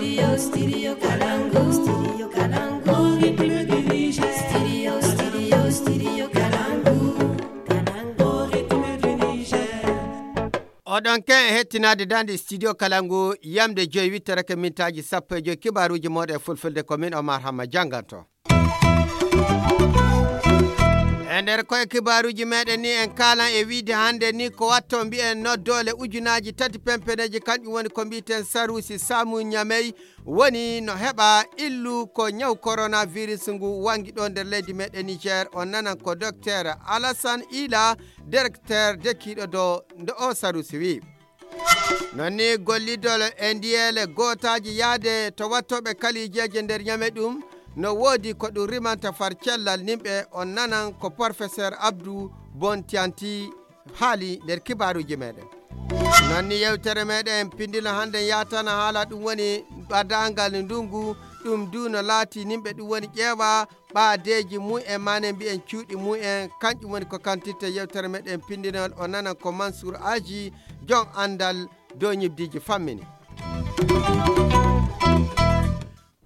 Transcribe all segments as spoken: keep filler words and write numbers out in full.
Studio Kalangu, Studio Kalangu, République du Niger. Studio, Studio, Studio Kalangu, Kalangu, République du Niger. Oɗon ken e hettinaade daande Studio Kalangu, yamde joyi wittorake mintaaji sappo e joyi, kibaaruuji mooɗon e fulfulde, ko min Omar Hamma jannganto. E nder koye kibaaruuji meɗen ni, en kaalan e wiide hannde ni ko watto mbiyen noddoole ujunaaji tati pempeneeji, kanƴum woni ko mbiyeten saruusi Samu Ñamey, woni no heɓa illu ko ñaw coronavirus ngu wangi ɗo nder leydi meɗen Niger. On nanan ko Docteur Alassane Ila, directeur dekiiɗo do ndo o saruusi wi. Non ni gollidol e ndiyeele gootaaji yaade to wattooɓe kalijeeje nder Ñamey ɗum no woodi ko ɗum rimanta far cellal nimɓe. On nanan ko Professeur Abdou Bontianti haali nder kibaaruuji meɗen. Non ni yewtere meɗen pindino hannde yaatana haala ɗum woni ɓadaangal ndungu, ɗum du no laati nimɓe ɗum woni ƴeewa ɓaadeeji mumen, mane mbiyen cuuɗi mumen, kanƴum woni ko kantirta yewtere meɗen pindinol. O nana ko Mansour Aji, jon anndal dow ñibdiiji fammini.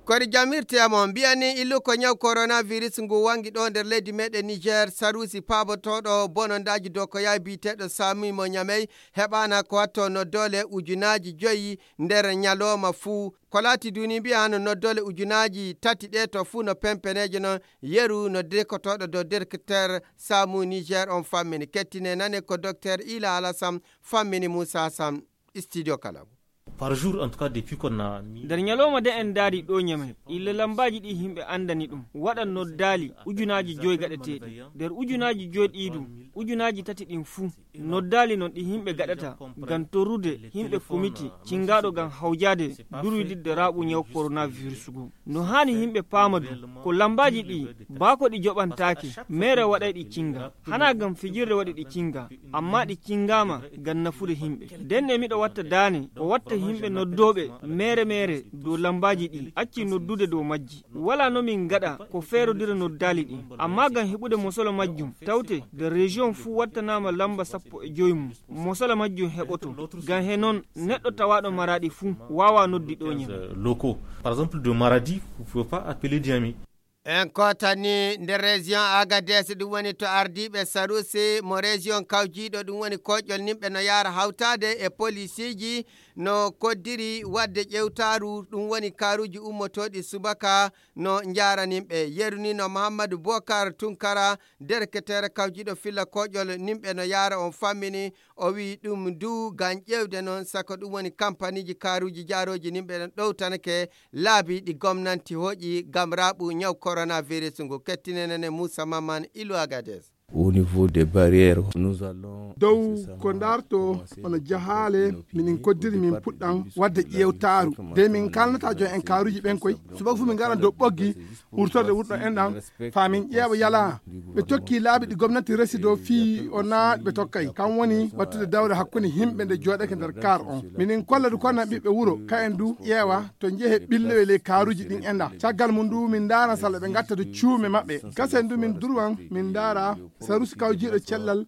Kori jamirte mo mbiyani illu ko ñaw coronavirus ngu wangi ɗo nder leydi meɗen Niger, sarusi paabotooɗo bonondaaji dow ko yawi biyeteeɗo Sami mo Ñamey heɓaana ko watto noddoole ujunaaji joyi nder ñalooma fuu. Ko laati duni mbiya hano noddoole ujunaaji tati ɗe to fuu no pempeneeje non yeru no dekotooɗo dow directeur Samu Niger on fammini. Kettine nane ko Docteur Ila Alassane fammini Moussa Sam, Studio Kalangu. Par jour, en tout cas, depuis qu'on a mis nder ñalawma de en daari ɗo Ñamey, illa lambaaji ɗi yimɓe anndani ɗum, waɗan noddaali ujunaaji joyi gaɗeteeɗi. Nder ujunaaji joyi ɗi ɗum, ujunaaji tati ɗin fuu, noddaali non ɗi yimɓe gaɗata ngam torrude yimɓe komiti cingaaɗo ngam hawjaade durwididde raaɓu ñaw coronavirus ngu. No haani yimɓe paama du, ko lambaaji ɗi, baa ko ɗi joɓantaake, meere waɗay ɗi cinga. Hanaa ngam fijirde waɗi ɗi cinga, amma ɗi cingaama ngam nafude yimɓe. Nden e miɗo watta daane, o watta yimɓe noddooɓe meere meere dow lambaaji ɗi, acci noddude dow majji. Walaa no min ngaɗa ko feerodira noddaali ɗin, amma ngam heɓude mosolo majjum, tawte nder région fuu wattanaama lamba sappo e jowi mum, mosolo majjum heɓoto. Ngam he non, neɗɗo tawaaɗo Maraɗi fuu waawaa noddi ɗo Ñamey. Locaux. Par exemple, de Maradi, vous pouvez pas appeler Niamey. En kootani nder région Agadez, ɗum woni to ardiiɓe sarusi mo région kawjiiɗo, ɗum woni koƴol nimɓe no yaara hawtaade e polisiiji no koddiri waɗde ƴewtaaru, ɗum woni kaaruuji ummotooɗi subaka no njaranimɓe. Yerunino Muhammadu Bokar Tunkara, dereketeere kawjiiɗo filla koƴol nimɓe no yaara on fammini, o wi'i ɗum du ngam ƴeewde noon, sako ɗum woni kampaniiji kaaruuji jaarooji nimɓe ɗon ɗowtanake laabi ɗi gomnanti hoƴi ngam raaɓu ñaw coronavirus ngu. Kettinenene Moussa Maman Ilu Agadez. Au niveau des barrières, nous allons dow ko ndarto hono jahaale, minin koddiri min puɗɗan waɗde ƴeewtaaru. De min kalnata jooni en kaaruuji ɓen koy, subaka fof min ngaran dow ɓoggi wurtorde wurɗo en ɗan, faa min ƴeewa yalaa. Ɓe tokki laabi ɗi gomnati resi dow fii o naa ɓe tokkay. Kam woni wattude dawre hakkunde yimɓe nde jooɗake nder kaar on. Minin kolla du kono ɓiɓɓe wuro, ka en du ƴeewa to njehe ɓilloye ley kaaruuji ɗin en ɗan. Caggal mum du min ndaara sala ɓe ngatta du cuume maɓɓe. Kasen du min durwan min ndaara sarusi kawjiiɗo cellal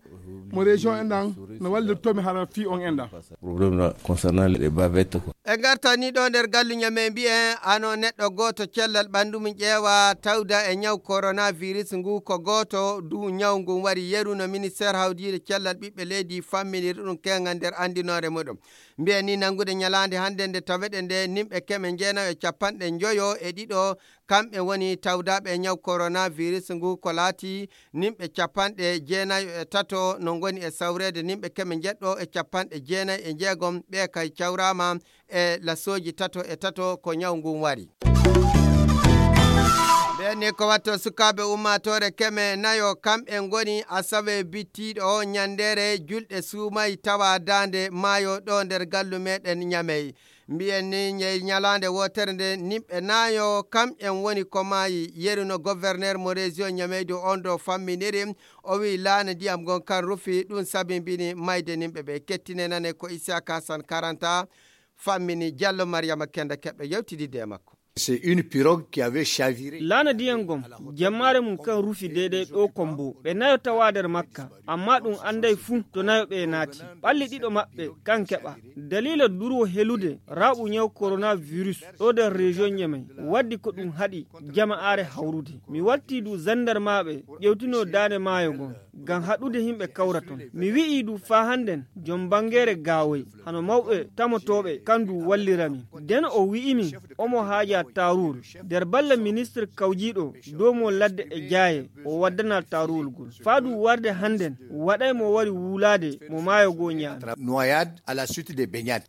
mo région en ɗan no wallirtomi hara fii on en ɗan. Problème na concernant les bavettes, quoi. E ngarta ni ɗo nder gallu Ñamey mbiyen ano neɗɗo gooto cellal ɓanndu mum ƴeewa tawda e ñaw coronavirus ngu, ko gooto du ñaw ngun wari yeru no ministère hawdiire cellal ɓiɓɓe leydi famminiri ɗum kenga nder anndinoore muɗum. Mbiyen ni nanngude ñalaande hannde nde taweɗen nde nimɓe keme jeenayo e capanɗe njoyo e ɗiɗo kamɓe woni tawdaaɓe e ñaw coronavirus ngu, ko laati nimɓe capanɗe jeenayo e tato no ngoni e sawreede nimɓe keme njeɗɗo e capanɗe jeenayi e njeegom, ɓe kay cawraama e lasooji tato e tato ko ñaw ngun wari. Ɓen ni ko watto sukaaɓe ummaatoore keme nayo, kamɓe ngoni asawe bittiiɗo o ñanndeere julɗe suumay tawa daande maayo ɗo nder gallu meɗen Ñamey. Mbiyen ni ñey ñalaande wootere nde nimɓe naayo kam en woni ko maayi. Yeru no gouverneur mo région Ñamey du on ɗo famminiri, o wi'i laana ndiyam ngon kan rufi, ɗum sabimbini mayde nimɓe ɓe. Kettine nane ko Isiaka Hassan Karanta fammini, Jallo Mariama Kenda keɓɗo yewtididde e makko. C'est une pirogue qui avait chaviré. Laana ndiyan gom, jammaare mum kan rufi deydey ɗoo Kombo. Ɓe nayo tawaa nder makka, ammaa ɗum annday fuu to nayo ɓee naati. Ɓalli ɗiɗo maɓɓe kan keɓaa. Daliila durwo helude raaɓu ñaw koronavirus ɗoo nder region Ñamey, waddi ko ɗum haɗi jama'aare hawrude. Mi wartii du zandarmaaɓe ƴewtinoo daande maayo ngon, ngam haɗude yimɓe kawra ton. Mi wi'ii du faa hannden jom banngeere Gaawoy, hano mawɓe tamotooɓe, kan du wallira min. Nden o wi'i min omo haajaa taaruwol. Nder balla ministir kawjiiɗo dow mo ladde e jaaye, o waddanaa taaruwol ngol. Faa du warde hannden, waɗay mo wari wulaade mo maayo goo ñaami. Noyade à la suite des baignades.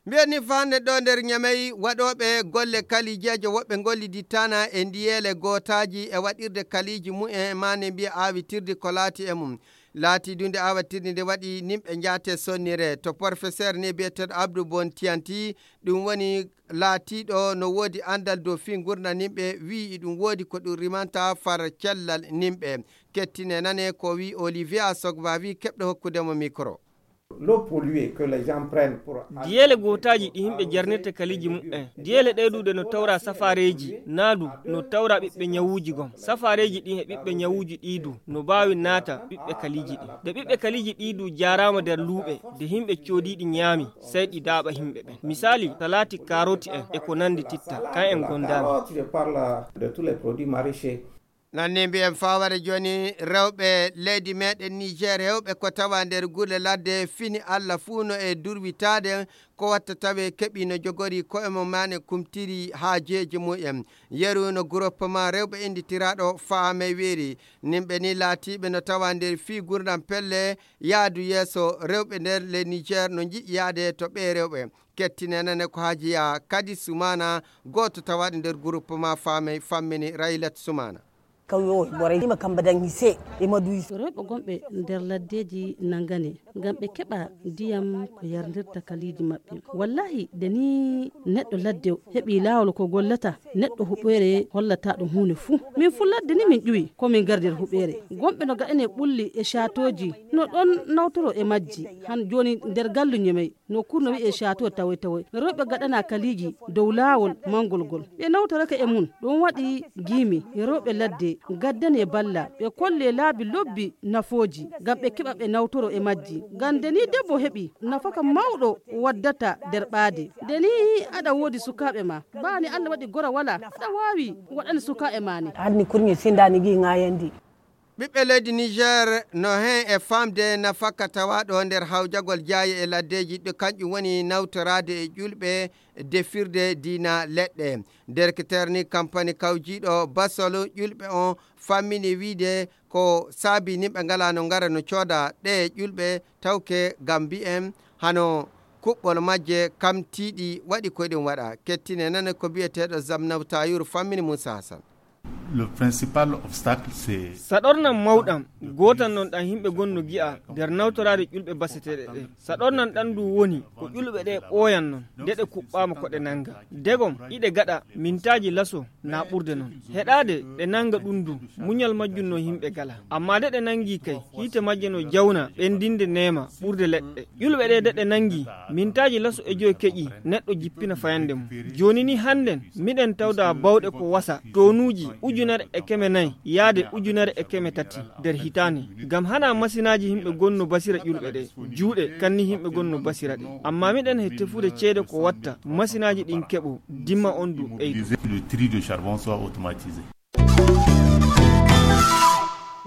Mbiyen ni faa hannden ɗoo nder Ñamey, waɗooɓe golle kaliijeejo woɓɓe ngollidittaana e ndiyeele gootaaji e waɗirde kaliiji mumen, maa ne mbiya aawitirdi ko laati e mum. Laatii du nde aawatirdi nde waɗi nimɓe njaate sonnire. To porofeseer ni biyeteeɗo Abdou Bon Tianti, ɗum woni laatiiɗo no woodi anndal dow fii ngurndan nimɓe, wi'i ɗum woodi ko ɗum rimanta far cellal nimɓe. Kettine nane ko wi'i Olivier Asogba, wi'i keɓɗo hokkude mo mikro. L'eau polluée que les gens prennent pour aller. Diyeele gootaaji ɗi yimɓe jarnirta kaliiji mumen. Diyeele ɗee du ɗe no tawra safaareeji, naa du no tawra ɓiɓɓe ñawuuji gom. Safaareeji ɗin e ɓiɓɓe ñawuuji ɗii du no baawi naata ɓiɓɓe kaliiji ɗin. Nde ɓiɓɓe kaliiji ɗii du jaaraama nder luuɓe, nde yimɓe coodiiɗi ñaami, sey ɗi daaɓa yimɓe ɓen. Misaali, salaati, kaaroti en e ko nanndi titta, kan en gondaani. Carottes, je parle de tous les produits maraîchers. Nanni mbiyen faware jooni, rewɓe leydi meɗen Niger hewɓe ko tawa nder gure ladde fini Allah fuu no e durwitaade, ko watta tawe keɓi no jogori koye mum maa ne kumtiri haajeeji mumen. Yeru no groupement rewɓe innditiraɗo Faamey weeri, nimɓe ni laatiiɓe no tawa nder fii gurdam pelle yaadu yeeso rewɓe nder le Niger no njiɗi yaade to ɓe rewɓe. Kettine nane ko haajiya kadi Sumana, gooto tawaɗo nder groupement Faamey fammini Raylat Sumana. Kawyo boray ima kamba dangi se ima duyi. Rewɓe gonɓe nder laddeeji nangane ngam ɓe keɓa ndiyam ko yarndirta kaliiji maɓɓe. Wallahi, nde ni neɗɗo ladde heɓi laawol ko gollata, neɗɗo huɓeere hollata ɗum huunde fuu. Min fuu ladde ni min ƴuwi ko min ngari nder huɓeere. Gonɓe no gaɗane ɓulli e caatooji no ɗon nawtoro e majji. Han jooni nder gallu Ñemey, nokkuure no wi'ee Caatoo Tawoy Tawoy, rewɓe gaɗanaa kaliiji dow laawol mangol ngol. Ɓe nawtorake e mum, ɗum waɗi giimi rewɓe ladde gaddane balla, ɓe kollee laabi lobbi nafooji, ngam ɓe keɓa ɓe nawtoro e majji. Ngam nde nii debbo heɓi nafaka mawɗo waddata nder ɓaade. Nde nii aɗa woodi sukaaɓe ma, baa ni Allah waɗi gora walaa, aɗa waawi waɗani sukaaɓe ma ni. Hanni kurŋe sindaani gi ŋaayandi. Ɓiɓɓe leydi Niger no heen e faamde nafaka tawaaɗo nder hawjagol jaaye e laddeeji, ɗo kanƴum woni nawtoraade e ƴulɓe, defirde diina leɗɗe. Nder ki terni kampani kawjiiɗo basol ƴulɓe on fammini wiide ko saabi nimɓe ngalaa no ngara no cooda ɗe ƴulɓe tawke ngam mbiyen hano kuɓɓol majje kam tiiɗi waɗi ko ɗum waɗa. Kettine nane ko biyeteeɗo Zamnaw Tayur fammini Moussa Hassan. Le principal obstacle, c'est saɗornan mawɗam gootan non ɗan yimɓe gonno gi'a nder nawtoraade ƴulɓe baseteeɗe ɗe. Saɗornan ɗan ndu woni ko ƴulɓe ɗe ɓooyan non nde ɗe kuɓɓaama ko ɗe nannga. Degom iɗe gaɗa mintaaji laso na ɓurde non. Heɗaade ɗe nannga ɗum ndu muñal majjum no yimɓe gala. Amma nde ɗe nanngi kay hiite majje no jawna ɓendinde neema ɓurde leɗɗe. Ƴulɓe ɗe nde ɗe nanngi mintaaji laso e joy keƴi neɗɗo jippina fayande mum. Jooni ni hannden miɗen tawda bawɗe ko wasa tonuuji ujunere e keme nayi yaade ujunere e keme tati nder hitaande. Ngam hana masinaaji yimɓe gonno basira ƴulɓe ɗe juuɗe kanni yimɓe gonno basira ɗe. Amma miɗen he tefude ceede ko watta masinaaji ɗin keɓo dimma on du ɓeydo. Le tri de charbon soit automatisé.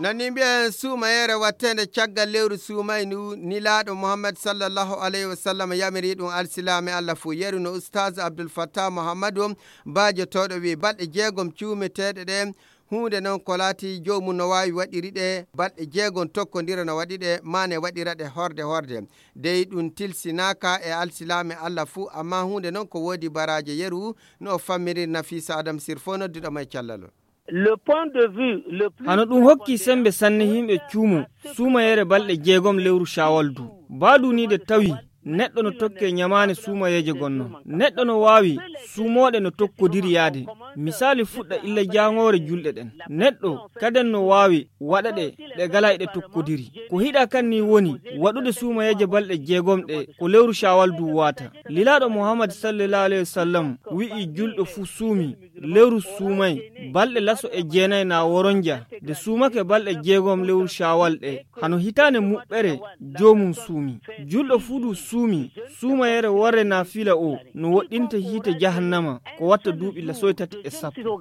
Nani mbiyen suumayeere watteende caggal lewru suumaynu nilaaɗo Muhammad sallallahu alayhi wa sallam yamiri ɗum alsilaame Allah fuu. Yeru no Ustaaz Abdul Fattah Muhammadu baajotooɗo wi balɗe jeegom cuumeteeɗe ɗe huunde noon ko laati joomum no waawi waɗiri ɗe balɗe jeegom tokkondira no waɗi ɗe maane waɗira ɗe horde horde. Dey ɗum tilsinaaka e alsilaame Allah fuu, amma huunde noon ko woodi baraaje yeru no o fammiri Nafisa Adam Sirfo nodduɗo mo e callal. Le point de vue le plus hano ɗum hokki sembe sanne yimɓe cuumo suumayere balɗe jeegom lewru Shawal du. Baaduniide tawi Neɗɗo no tokke ñamaane suumayeeje gonno. Neɗɗo no waawi suumooɗe no tokkodiri yaade. Misaali fuɗɗa illa jaangoore julɗe ɗen. Neɗɗo kaden no waawi waɗa ɗe, ɗe galay ɗe tokkodiri. Ko hiɗa kan ni woni waɗude suumayeeje balɗe jeegom ɗe ko lewru Shawal du waata. Lilaaɗo Muhammad sallallahu alayhi wa sallam wi'i julɗo fuu suumi, lewru suumay, balɗe laso e jeenay na woronja, de suumake balɗe jeegom lewru Shawal ɗe, hano hitaande muɓɓere joomum suumi. Julɗo fuu du suumi, suumayere worre na fila o, no woɗɗinta hiite jahannama, ko watta duuɓi lasoy tati e sappo.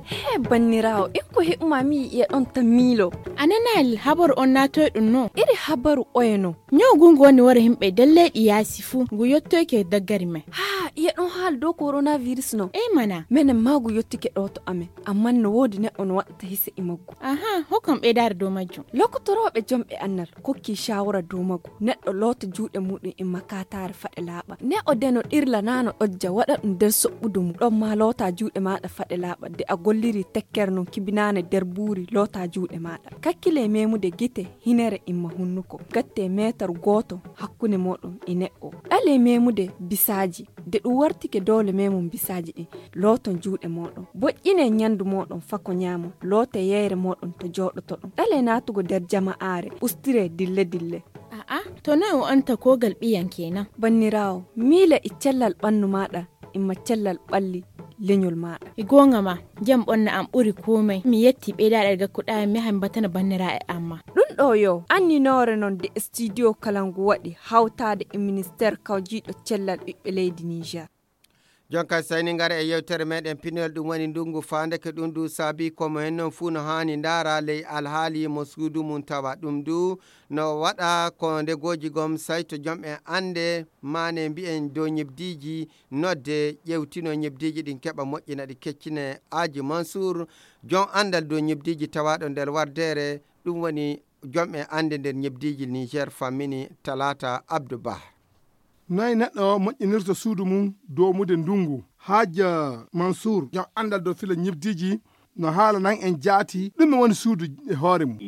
He banniraawo, en ko heɓuma mi yi'e ɗon ta miilo. A nanaali habaru on naatoy ɗum no? Iri habaru oye no? Ñaw ngu ngu woni wara yimɓe nder leyɗi yaasi fuu, ngu yottoyke daggari men. Haa, iye ɗon haala dow coronavirus no? Ey mana. Menen maa ngu yottike ɗo to amen, ammaa no woodi neɗɗo no waɗata hise e maggu. Aha, hokkam ɓeydaare dow majjum. Lokotorooɓe jomɓe annal kokki shawara dow maggu. Neɗɗo loota juuɗe muɗum e makataare faɗe laaɓa. Ne o deno ɗirla naa no ɗojja waɗa ɗum nder soɓɓudu mum. Ɗon maa loota juuɗe maaɗa faɗe laaɓa. De a golliri tekkere non kibinaane nder buuri loota juuɗe maaɗa. Kakkile memude gite, hinere imma hunnuko. Gatte meetar gooto hakkunde mooɗon e neɗɗo. Ɗale memude bisaaji. De ɗum wartike doole memum bisaaji ɗin. Looton juuɗe mooɗon. Boƴƴine ñandu mooɗon fako ñaamon. Loote yeyre mooɗon to jooɗotoɗon. Ɗale naatugo nder jama'aare. Ustire dille dille. A'a, to noy o anta kogal ɓiyan kenan? Banniraawo, miile e cellal ɓannu maaɗa, imma cellal ɓalli leñol maaɗa. E goonga ma, jam ɓonna am ɓuri komai. Mi yetti ɓeydaaɗe gakkuɗaa mi yaha mi batana banniraaɓe am ma. Ɗum ɗo yo anninoore non de studio kala ngu waɗi hawtaade e ministeer kawjiiɗo cellal ɓiɓɓe leydi Niger. Jonka sayni ngara e yewtere meɗen pinol, ɗum woni ndungu faandeke ɗum du saabi ko mo hen non fuu no haani ndaara ley alhaali mo suudu mum tawa ɗum du no waɗa ko ndegooji gom sayto jom en annde maane mbiyen dow ñebdiiji nodde ƴewtino ñebdiiji ɗin keɓa moƴƴina ɗi keccine. Aji Mansour, jon anndal dow ñebdiiji tawaaɗo nder wardeere, ɗum woni jom en annde nder ñebdiiji Niger fammini Talata Abdou Bah. Noy neɗɗo moƴƴinirta suudu mum doomude ndungu? Haaja Mansour, jom anndal dow fila ñibdiiji, no haala nan en jaati ɗum woni suudu e hoore mum.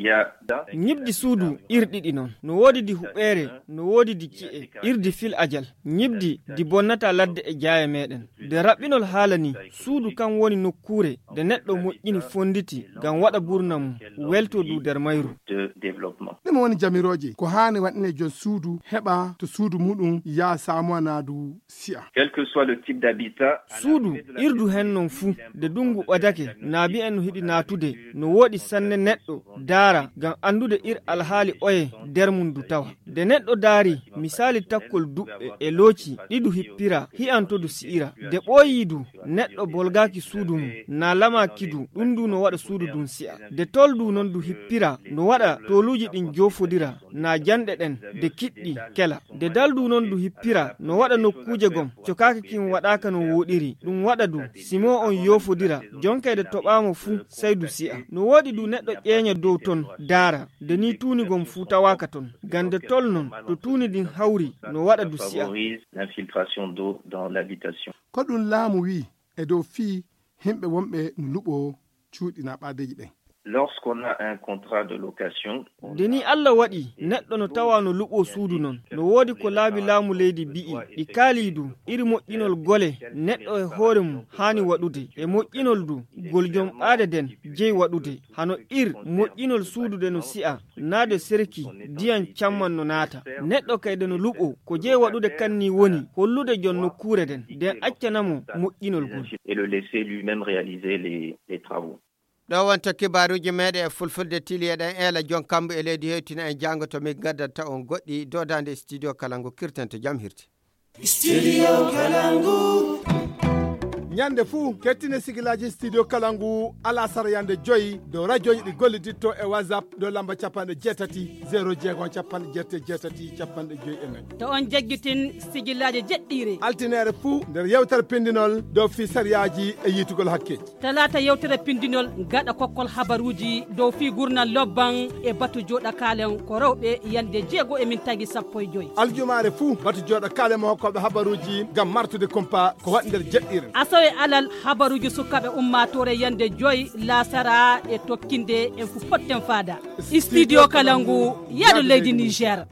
Ñibdi suudu ir ɗiɗi non. No woodi di huɓeere, no woodi di ci'e, irdi fil ajal. Ñibdi di bonnata ladde e jaaye meɗen. De raɓɓinol haala ni, suudu kan woni nokkuure de neɗɗo moƴƴini fonditi ngam waɗa burna mum, welto du nder mayru. Ɗum woni jamirooje ko haani waɗine jon suudu heɓa to suudu muɗum yaa saamuwa naa du si'a. Quel que soit le type d'habitat, suudu irdu hen non fuu, de dungu ɓadake, naabi en no hiɗi naatude, no woɗi sanne neɗɗo daara ngam anndude ir alhaali oye nder mum du tawa. De neɗɗo daari misaali takkol duɓɓe e looci ɗi du hippira, hi'anto du si'ira. De ɓooyii du, neɗɗo bolgaaki suudu mum, naa lamaaki du, ɗum du no waɗa suudu dun si'a. De tol du non du hippira, no waɗa toluuji ɗin joofodira, naa janɗe ɗen, de kiɗɗi kela. De dal du non du hippira, no waɗa nokkuuje gom, cokaaki kin waɗaaka no wooɗiri, ɗum waɗa du, si mo on yoofodira, jonkayde toɓaamo fuu, sey du si'a. No woodi du neɗɗo ƴeeña dow ton, daara, de ni tuuni gom fuu tawaaka ton. Gande tol non, to tuuni din hawri, no waɗa du si'a. Favorise l'infiltration d'eau dans l'habitation. Ko ɗum laamu wii e dow fii himɓe wonɓe no luɓoo cuuɗi naa ɓaadeeji ɗen. Lorsqu'on a un contrat de location, nde ni Allah waɗi neɗɗo no tawa no luɓoo suudu non, no woodi ko laabi laamu leydi bi'i, ɗi kaalii du, iri moƴƴinol gole neɗɗo e hoore mum haani waɗude, e moƴƴinol du, gol jom ɓaade den jeyi waɗude, hano ir moƴƴinol suudu de no si'a, naa de serki, diyan camman no naata. Neɗɗo kayde no luɓoo, ko jeyi waɗude kan ni woni hollude jon nokkuure den, den accana mo moƴƴinol gol. Et le laisser lui-même réaliser les, les travaux. Ɗo wonta kibaaruuji meeɗen e fulfulde tili eɗen eela jon kambu e leydi hewtina en jaango to min ngaddanta on goɗɗi dodande studio kala ngu kirtante jam hirti. Studio Kalangu. Ñande fuu, kettine sigilaaji studio Kalangu alasara yande joyi dow radiooji ɗi golliditto e WhatsApp dow lamba capanɗe jeetati, zéro jeegom, capanɗe jeetati, jeetati, capanɗe joyi e nayi. To on jaggitin sigilaaji jeɗɗiire. Altineere fuu nder yewtere pindinol dow fii sariyaaji e yiitugol hakke. Talaata yewtere pindinol gaɗa kokkol habaruuji dow fii gurnal lobban e batu jooɗa kaalen ko rewɓe yande jeego e min tagi sappo e joyi. Aljumaare fuu batu jooɗa kaalen mo hokkooɓe habaruuji ngam martude kumpa ko waɗi nder jeɗɗiire. Asawe alal habaruuji sukaaɓe ummaatoore yande joyi laasara e tokkinde en fu potten faada. Studio Kalangu, yaadu leydi Niger.